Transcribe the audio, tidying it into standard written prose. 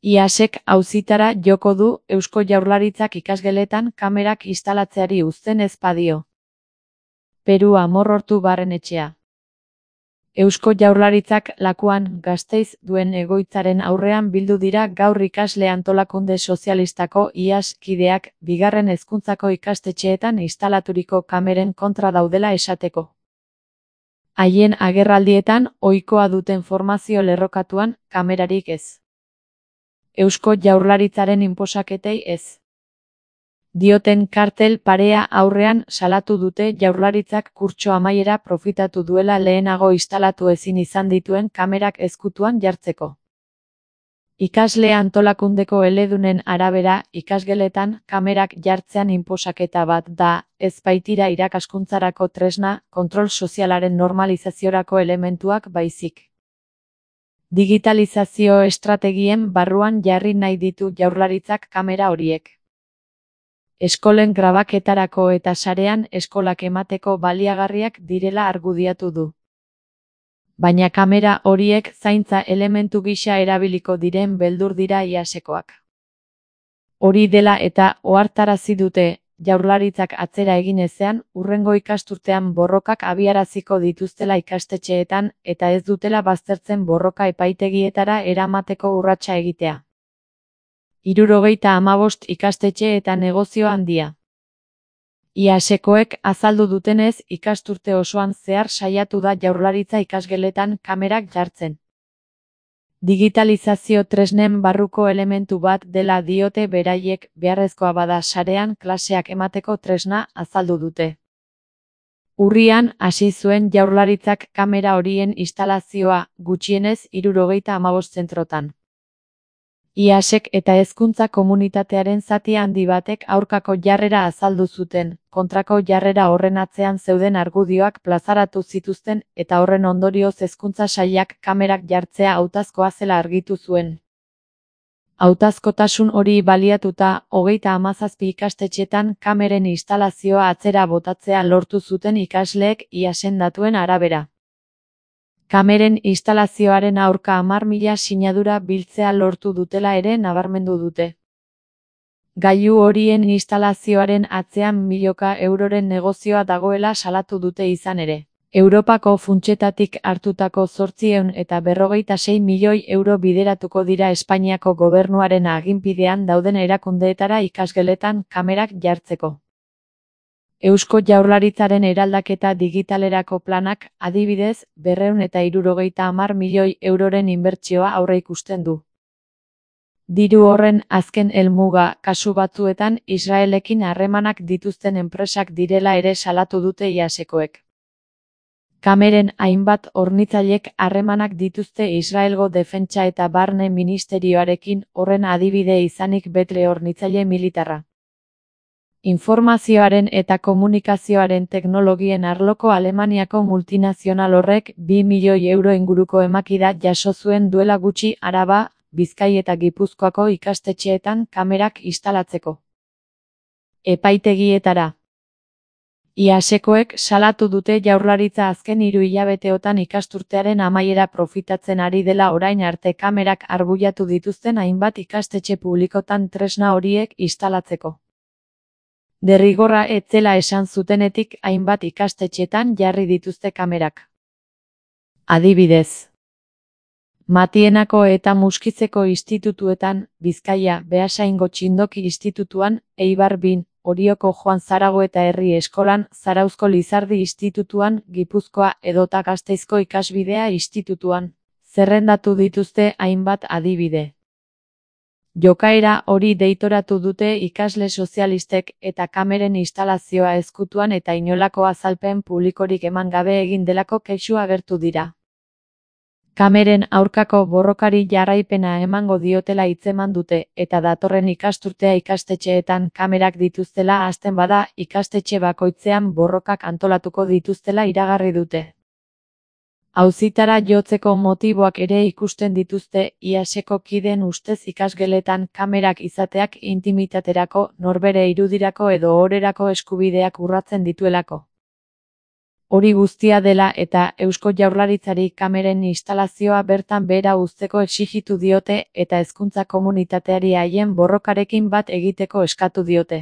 IASek auzitara joko du Eusko Jaurlaritzak ikasgeletan kamerak instalatzeari uzten ez badio. Peru Amorortu Barrenetxea. Eusko Jaurlaritzak Lakuan, Gasteiz duen egoitzaren aurrean bildu dira gaur ikasle antolakunde sozialistako IAS kideak bigarren hezkuntzako ikastetxeetan instalaturiko kameren kontra daudela esateko. Haien agerraldietan ohikoa duten formazio lerrokatuan kamerarik ez. Eusko Jaurlaritzaren inposaketei ez. Dioten kartel parea aurrean salatu dute Jaurlaritzak kurtso amaiera profitatu duela lehenago instalatu ezin izan dituen kamerak ezkutuan jartzeko. Ikasle antolakundeko eledunen arabera, ikasgeletan kamerak jartzean inposaketa bat da, ez baitira irakaskuntzarako tresna, kontrol sozialaren normalizaziorako elementuak baizik. Digitalizazio estrategien barruan jarri nahi ditu Jaurlaritzak kamera horiek. Eskolen grabaketarako eta sarean eskolak emateko baliagarriak direla argudiatu du. Baina kamera horiek zaintza elementu gisa erabiliko diren beldur dira IASekoak. Hori dela eta ohartarazi dute, Jaurlaritzak atzera egin ezean, hurrengo ikasturtean borrokak abiaraziko dituztela ikastetxeetan eta ez dutela baztertzen borroka epaitegietara eramateko urratsa egitea. 75 ikastetxe eta negozio handia. IASekoek azaldu dutenez ikasturte osoan zehar saiatu da Jaurlaritza ikasgeletan kamerak jartzen. Digitalizazio tresnen barruko elementu bat dela diote beraiek beharrezkoa bada sarean klaseak emateko tresna azaldu dute. Urrian hasi zuen Jaurlaritzak kamera horien instalazioa gutxienez 75 zentrotan. IASek eta hezkuntza komunitatearen zati handi batek aurkako jarrera azaldu zuten, kontrako jarrera horren atzean zeuden argudioak plazaratu zituzten eta horren ondorioz hezkuntza sailak kamerak jartzea hautazkoa zela argitu zuen. Hautazkotasun hori baliatuta, 37 ikastetxetan kameren instalazioa atzera botatzea lortu zuten ikasleek IASen datuen arabera. Kameren instalazioaren aurka 10.000 sinadura biltzea lortu dutela ere nabarmendu dute. Gailu horien instalazioaren atzean milioika euroren negozioa dagoela salatu dute izan ere. Europako funtsetatik hartutako 856 milioi euro bideratuko dira Espainiako gobernuaren aginpidean dauden erakundeetara ikasgeletan kamerak jartzeko. Eusko Jaurlaritzaren eraldaketa digitalerako planak, adibidez, 270 milioi euroren inbertsioa aurreikusten du. Diru horren azken helmuga, kasu batzuetan Israelekin harremanak dituzten enpresak direla ere salatu dute IASekoek. Kameren hainbat hornitzailek harremanak dituzte Israelgo defentsa eta barne ministerioarekin, horren adibide izanik Betle hornitzaile militarra. Informazioaren eta komunikazioaren teknologien arloko Alemaniako multinazional horrek 2 milioi euro inguruko emakida jaso zuen duela gutxi Araba, Bizkai eta Gipuzkoako ikastetxeetan kamerak instalatzeko. Epaitegietara. IASekoek salatu dute Jaurlaritza azken 3 hilabeteotan ikasturtearen amaiera profitatzen ari dela orain arte kamerak arbuiatu dituzten hainbat ikastetxe publikotan tresna horiek instalatzeko. Derrigorra ez zela esan zutenetik hainbat ikastetxetan jarri dituzte kamerak. Adibidez. Matienako eta Muskizeko institutuetan, Bizkaia, Beasaingo Txindoki institutuan, Eibar Bin, Orioko Joan Zaragoeta Herri Eskolan, Zarauzko Lizardi institutuan, Gipuzkoa edota Gasteizko Ikasbidea institutuan, zerrendatu dituzte hainbat adibide. Jokaera hori deitoratu dute ikasle sozialistek eta kameren instalazioa ezkutuan eta inolako azalpen publikorik eman gabe egin delako kexu agertu dira. Kameren aurkako borrokari jarraipena emango diotela hitzeman dute eta datorren ikasturtea ikastetxeetan kamerak dituztela hasten bada ikastetxe bakoitzean borrokak antolatuko dituztela iragarri dute. Auzitara jotzeko motiboak ere ikusten dituzte IASeko kideen ustez ikasgeletan kamerak izateak intimitaterako, norbere irudirako edo ohorerako eskubideak urratzen dituelako. Hori guztia dela eta Eusko Jaurlaritzari kameren instalazioa bertan behera uzteko exijitu diote eta hezkuntza komunitateari haien borrokarekin bat egiteko eskatu diote.